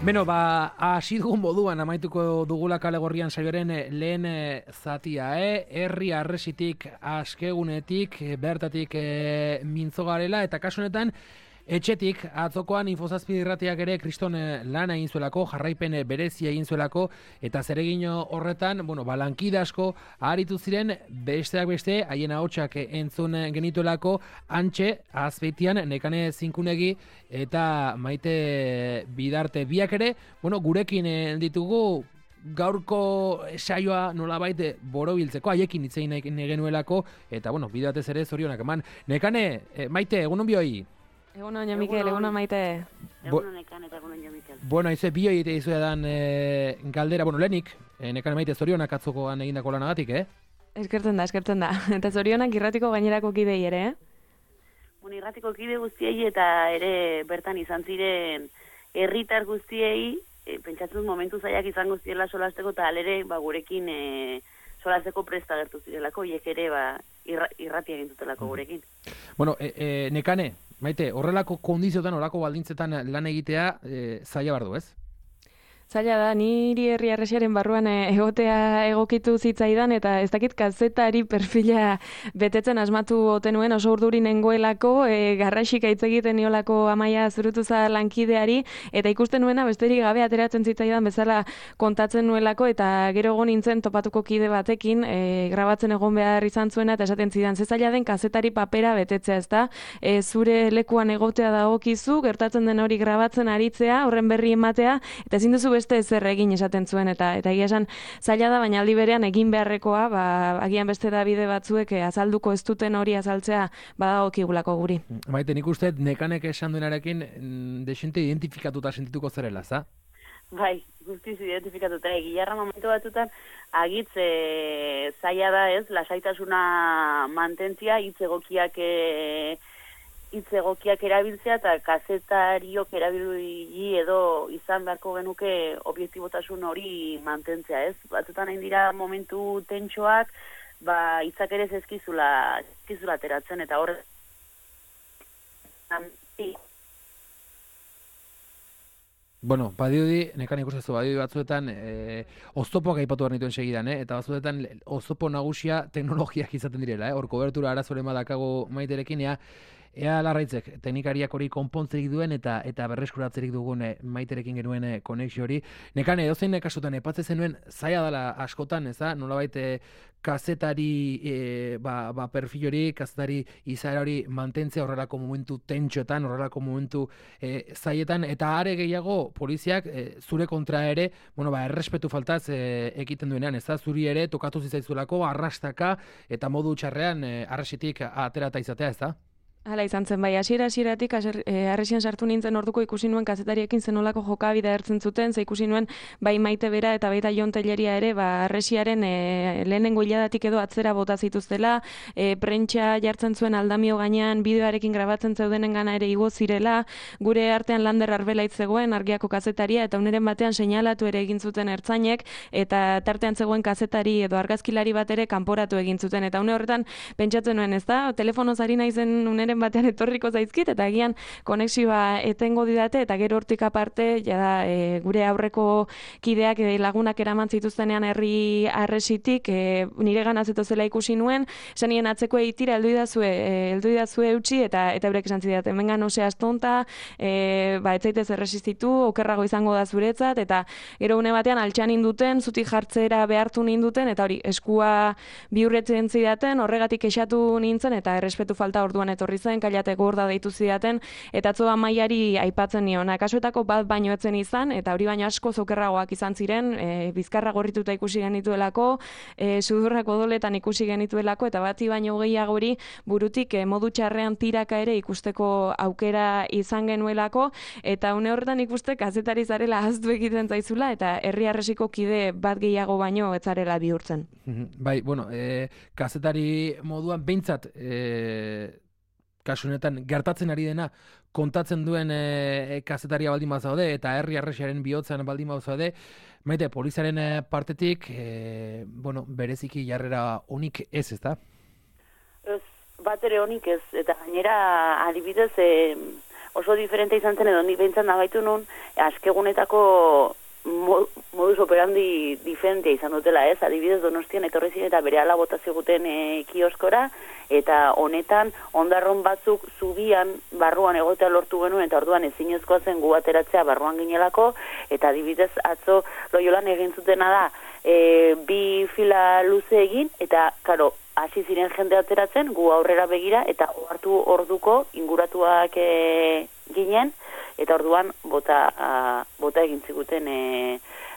Beno, hasi dugun moduan amaituko dugula Kale Gorrian saioaren lehen zatia, herri harresitik, askegunetik, bertatik mintzo garela, eta kasu honetan, etxetik, atzokoan Infozazpi irratiak ere kriston lana egin zuelako, jarraipen berezia egin zuelako, eta zeregin horretan, lankide asko aharitu ziren, besteak beste, haien ahotsak entzun genituelako, Antxe, Azpeitian, Nekane Zinkunegi, eta Maite Bidarte biak ere, gurekin ditugu, gaurko saioa nolabait borobiltzeko, haiekin hitz egin nahi genuelako, eta bidatez ere zorionak eman. Nekane, Maite, egunon bioi? Egunon, Jo Mikel, egunon Maite. Egunon Nekane eta egunon Jo Mikel. Aizu, bioi egite izuedan galdera, lehenik, Nekane Maite zorionak atzokoan egindako lanagatik, Eskertzen da. Eta zorionak irratiko gainerako kidei ere, Irratiko kide guztiei eta ere bertan izan ziren herritar guztiei, pentsatzen momentu zaiak izango zirela solasteko, eta alere gurekin solasteko presta gertu zirelako, hiek ere irratia egin zutelako gurekin. Nekane, Maite, horrelako kondiziotan, horrelako baldintzetan lan egitea zaila bardu, ez? Zaila da, niri herri harresiaren barruan egotea egokitu zitzaidan, eta ez dakit kazetari perfila betetzen asmatu ote nuen, oso urduri nengoelako, garraxik hitz egiten niolako Amaia Zurutuza lankideari, eta ikusten nuena besterik gabe ateratzen zitzaidan bezala kontatzen nuelako, eta gero egon nintzen topatuko kide batekin, grabatzen egon behar izan zuena, eta esaten zidan, ze zaila den kazetari papera betetzea, ezta? Zure lekuan egotea dagokizu, gertatzen den hori grabatzen aritzea, horren berri ematea, eta ezin duzu beste ezer egin esaten zuen, eta egia esan zaila da, baina aldi berean egin beharrekoa, agian beste da bide batzuek azalduko ez duten hori azaltzea badagokigulako guri. Maite, nik uste Nekanek esan duenarekin desente identifikatuta sentituko zerela, za? Bai, guztiz identifikatuta. Gilarra momentu batzutan agitz zaila da ez, lasaitasuna mantentzia, hitz egokiak erabiltzea eta kazetariok erabili edo izan beharko genuke objektibotasun hori mantentzea, ez? Batzutan hain dira momentu tentsoak, hitzak ere zezkizula ateratzen, eta horre badirudi, Nekan ikustezu, badirudi batzuetan oztopoak aipatu behar nituen segidan, eta batzuetan oztopo nagusia teknologiak izaten direla, hor kobertura arazoren badakago Maiterekin, ea larraitzek teknikariak hori konpontzerik duen eta berreskuratzerik dugun Maiterekin genuen konexio hori. Nekane, edozein kasutan epatze zenuen zaila dela askotan, ez da? Nolabait kazetari perfil hori, kazetari izaera hori mantentzea horrelako momentu tentsoetan, horrelako momentu zailetan, eta are gehiago poliziak zure kontra ere, errespetu faltaz ekiten duenean, ez da? Zuri ere tokatu zitzaizulako arrastaka eta modu txarrean arresitik aterata izatea, ez da? Hala izan zen, bai, hasieratik harresian sartu nintzen orduko ikusi nuen kazetariekin zenolako jokabidea hartzen zuten, ze ikusi nuen bai Maite bera eta baita Jon Telleria ere, harresiaren lehenengo hiladatik edo atzera bota zituztela, prentsa jartzen zuen Aldamio gainean, bideoarekin grabatzen zeudenen gana ere igo zirela, gure artean Lander Arbelaitz zegoen, Argiako kazetaria, eta uneren batean seinalatu ere egin zuten ertzainek, eta tartean zegoen kazetari edo argazkilari bat ere kanporatu egin zuten, eta une horretan pentsatzen nuen, ez da, telefonoz ari naizen uneren batean etorriko zaizkit, eta agian konexioa etengo didate, eta gero hortik aparte, gure aurreko kideak lagunak eraman zituztenean herri harresitik, nire gana zetozela ikusi nuen, esan nien atzeko eitira, heldu idazue eutxi, eta eurek esan zidat, hemen gan ose astonta, ez zaitez erresistitu, okerrago izango da zuretzat, eta gero une batean altxan induten, zutik jartzera behartu ninduten, eta hori, eskua bihurretzen zidaten, horregatik esatu nintzen, eta errespetu falta orduan etorri zen, kailate gorda deitu zidaten, eta atzo Amaiari aipatzen nion. Kasuetako bat baino etzen izan, eta hori baino asko zokerragoak izan ziren, bizkarra gorrituta ikusi genituelako, sudurrak odoletan ikusi genituelako, eta bati baino gehiago hori burutik modu txarrean tiraka ere ikusteko aukera izan genuelako, eta une horretan ikuste kazetari zarela ahaztu egiten zaizula, eta herri harresiko kide bat gehiago baino ez zarela bihurtzen. Bai, kazetari moduan behintzat kasu honetan gertatzen ari dena kontatzen duen kazetaria baldin bazaude eta herri harresiaren bihotzean baldin bazaude, Maite, poliziaren partetik bereziki jarrera onik ez da? Ez, bat ere onik ez, eta gainera adibidez oso diferente izan zen edo, ni behintzat nabaitu nun, askegunetako modus operandi diferentea izan dutela, ez? Adibidez Donostian etorri ziren eta berehala bota ziguten kioskora, eta honetan ondarron batzuk zubian barruan egotea lortu genuen, eta orduan ezinezkoa zen gu ateratzea barruan ginelako, eta adibidez atzo Loiolan egin zutena da, bi fila luze egin, eta karo, hasi ziren jende ateratzen, gu aurrera begira, eta hartu orduko inguratuak ginen, eta orduan bota egin ziguten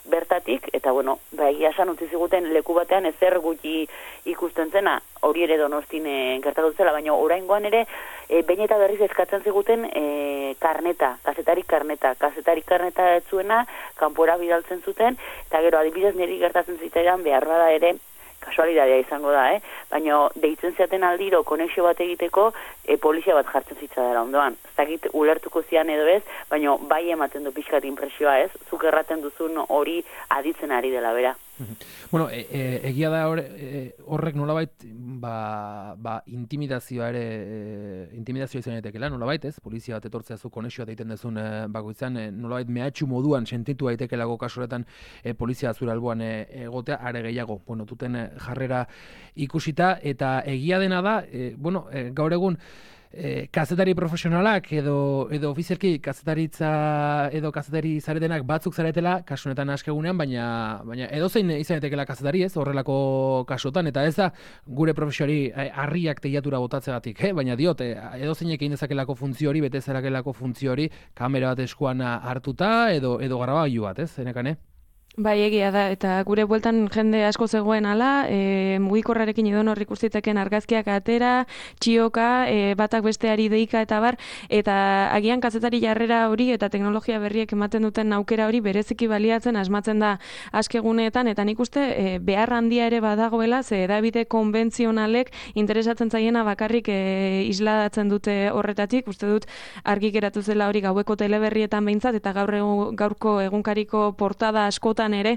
bertatik, eta bueno, egia esan utzi ziguten leku batean ezer gutxi ikusten zena, hori ere Donostin gertatu zela, baina oraingoan ere behin eta berriz eskatzen ziguten kazetarik karneta ez zuena, kanpora bidaltzen zuten, eta gero adibidez niri gertatzen zitzaidan behar bada ere, kasualidadea izango da, baina deitzen zeaten aldiro konexio bat egiteko polizia bat jartzen zitzadara ondoan. Ez dakit ulertuko zian edo ez, baina bai ematen du pixkat impresioa, ez? Zuk erraten duzun hori aditzen ari dela bera. Bueno, egia da horrek nolabait intimidazioa izan daitekela, nolabait, ez? Polizia bat etortzea zu konexioa egiten dezun bakoitzan, nolabait mehatxu moduan sentitu daitekelako kasuretan polizia zure alboan egotea are gehiago. Bueno, duten jarrera ikusita eta egia dena da, gaur egun kazetari profesionalak edo ofizialki kazetaritza edo kazetari zaretenak batzuk zaretela kasunetan askegunean, baina edozein izan daitekeela kazetari, ez, horrelako kasutan, eta ez da gure profesioari harriak teiatura botatzegatik, baina diot, edozeinek egin dezakelako funtzio hori, bete zerakelako funtzio hori, kamera bat eskuan hartuta edo grabagailu bat, ez, zenekane? Bai, egia da, eta gure bueltan jende asko zegoen ala, mugikorrarekin edonor ikustiteken argazkiak atera, txioka, batak besteari deika eta bar, eta agian kazetari jarrera hori eta teknologia berriek ematen duten aukera hori bereziki baliatzen asmatzen da askeguneetan, eta nik uste behar handia ere badagoela, ze edabide konbentzionalek interesatzen zaiena bakarrik isladatzen dute horretatik, uste dut argi geratu zela hori gaueko teleberrietan behintzat, eta gaurko egunkariko portada askotan ere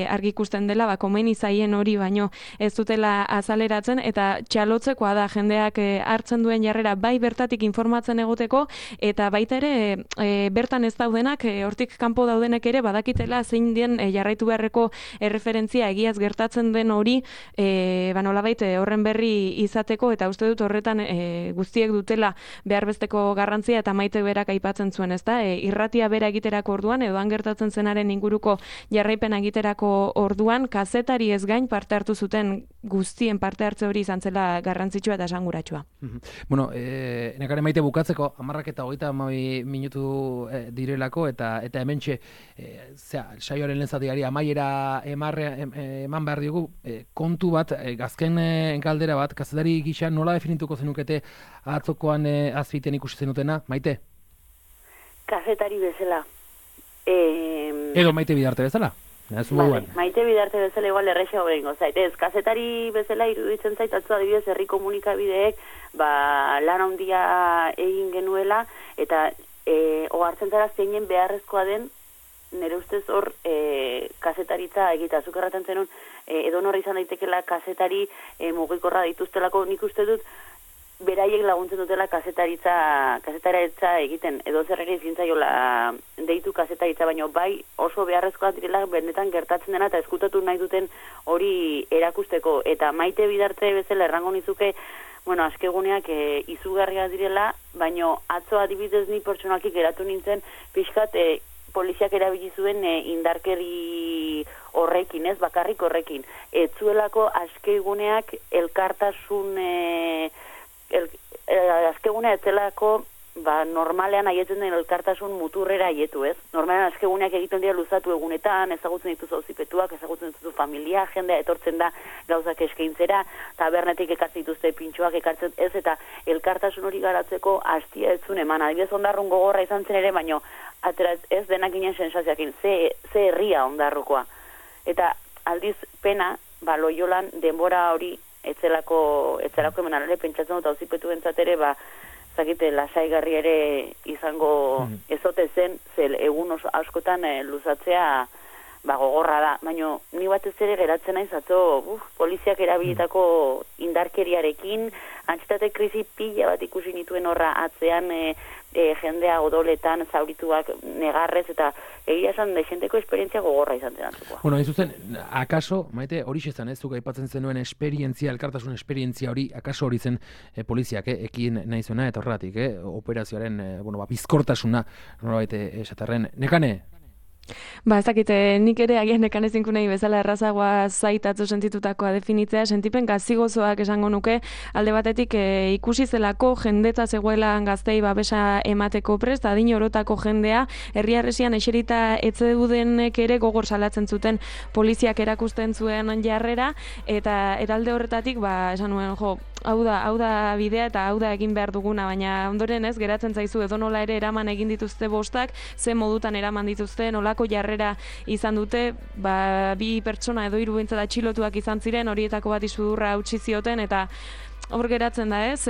argi ikusten dela, komeni zaien hori baino ez dutela azaleratzen, eta txalotzekoa da jendeak hartzen duen jarrera bai bertatik informatzen egoteko, eta baita ere bertan ez daudenak, hortik kanpo daudenek ere badakitela zein den jarraitu beharreko erreferentzia egiaz gertatzen den hori, nolabait horren berri izateko, eta uste dut horretan guztiek dutela behar besteko garrantzia, eta Maite berak aipatzen zuen, ezta? Irratia bera egiterako orduan, edo han gertatzen zenaren inguruko jarraipena egiterako orduan, kazetari ez gain parte hartu zuten guztien parte hartze hori izan zela garrantzitsua eta esanguratsua. Bueno, nekare Maite bukatzeko, 10:32 minutu direlako, eta hementxe, saioaren lehen zatiari amaiera eman behar diogu, kontu bat, azken galdera bat, kazetari gisa nola definituko zenukete atzokoan azpiten ikusi zenutena, Maite? Kazetari bezala. Edo Maite Bidarte bezala? Vale, Maite Bidarte bezala igual errexago egingo zait. Ez, kazetari bezala iruditzen zait, atzo adibidez herri komunikabideek lan handia egin genuela, eta ohartzen zara zeinen beharrezkoa den, nire ustez hor kazetaritza egita. Zuk erraten zenun, edonor izan daitekela kazetari mugikorra dituztelako, nik uste dut, beraiek laguntzen dutela kazetaritza egiten, edo zer ere zintzaiola deitu kazetaritza, baina bai oso beharrezkoa direla benetan gertatzen dena eta eskutatu nahi duten hori erakusteko, eta Maite Bidarte bezala errango nizuke, askeguneak izugarria direla, baina atzo adibidez ni pertsonalki geratu nintzen pixkat poliziak erabili zuen indarkeri horrekin, ez bakarrik horrekin. Ez zuelako askeguneak elkartasun azkegunea etzelako normalean aietzen den elkartasun muturrera aietu, ez? Normalean azkeguneak egiten dira luzatu egunetan, ezagutzen dituzu auzipetuak, ezagutzen dituzu familia, jendea etortzen da gauzak eskaintzera, tabernetik ekartzen dituzte pintxoak ekartzen ez, eta elkartasun hori garatzeko hastia ez zuen eman. Adibidez Ondarrun gogorra izan zen ere, baino atera ez denak ginen sensazioakin, ze herria Ondarrukoa. Eta aldiz pena, Loiolan denbora hori etzelako emanarele pentsatzen dut auzipetu entzat ere, zakite lasaigarri ere izango ezote zen, zel egun askotan luzatzea gogorra da, baina ni batez ere geratzen naiz atzo, poliziak erabilitako indarkeriarekin, antsitate krisi pila bat ikusi nituen horra atzean jendea odoletan zaurituak negarrez, eta egia esan dexenteko esperientzia gogorra izan zenatuko. Bueno, hain zuzen, akaso, Maite, hori xezan, ez zuk aipatzen zenuen esperientzia, elkartasun esperientzia hori, akaso hori zen poliziak, ekin nahi zuena, eta horregatik, operazioaren, bizkortasuna, norbait esatarren. Nekane? Ba, ez dakite, nik ere agian nekanezinku nahi bezala errazagoa zaitatzu sentitutakoa definitzea, sentipen gazigozoak esango nuke, alde batetik ikusi zelako jendetza zegoela gaztei babesa emateko prest, adin orotako jendea, herriarresian eserita etzedudenek ere gogor salatzen zuten poliziak erakusten zuen jarrera, eta eralde horretatik, esan nuen, hau da bidea eta hau da egin behar duguna, baina ondoren ez, geratzen zaizu edonola ere eraman egin dituzte bostak, ze modutan eraman dituzte, nolako jarrera izan dute, bi pertsona edo 3 behintzat atxilotuak izan ziren, horietako bat sudurra hautsi zioten, eta hor geratzen da ez,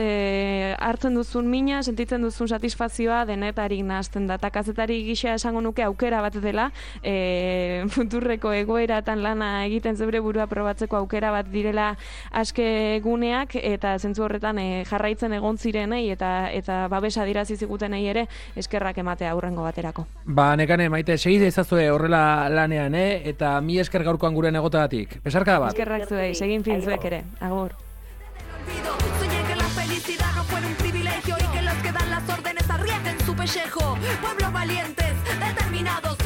hartzen duzun mina, sentitzen duzun satisfazioa denetarik nahazten da, eta kazetari gisa esango nuke aukera bat dela, futurreko egoeratan lana egiten zeure burua probatzeko aukera bat direla aske guneak, eta zentzu horretan jarraitzen egon zirenei, eta babesa dirazi zigutenei ere eskerrak ematea aurrengo baterako. Nekane, Maite, segide ezazue horrela lanean, eta mi esker gaurkoan guren egotagatik. Besarka bat? Eskerrak zuei, segin finzuek ere, agur. Soñé que la felicidad no fuera un privilegio y que los que dan las órdenes arriesguen su pellejo. Pueblos valientes, determinados,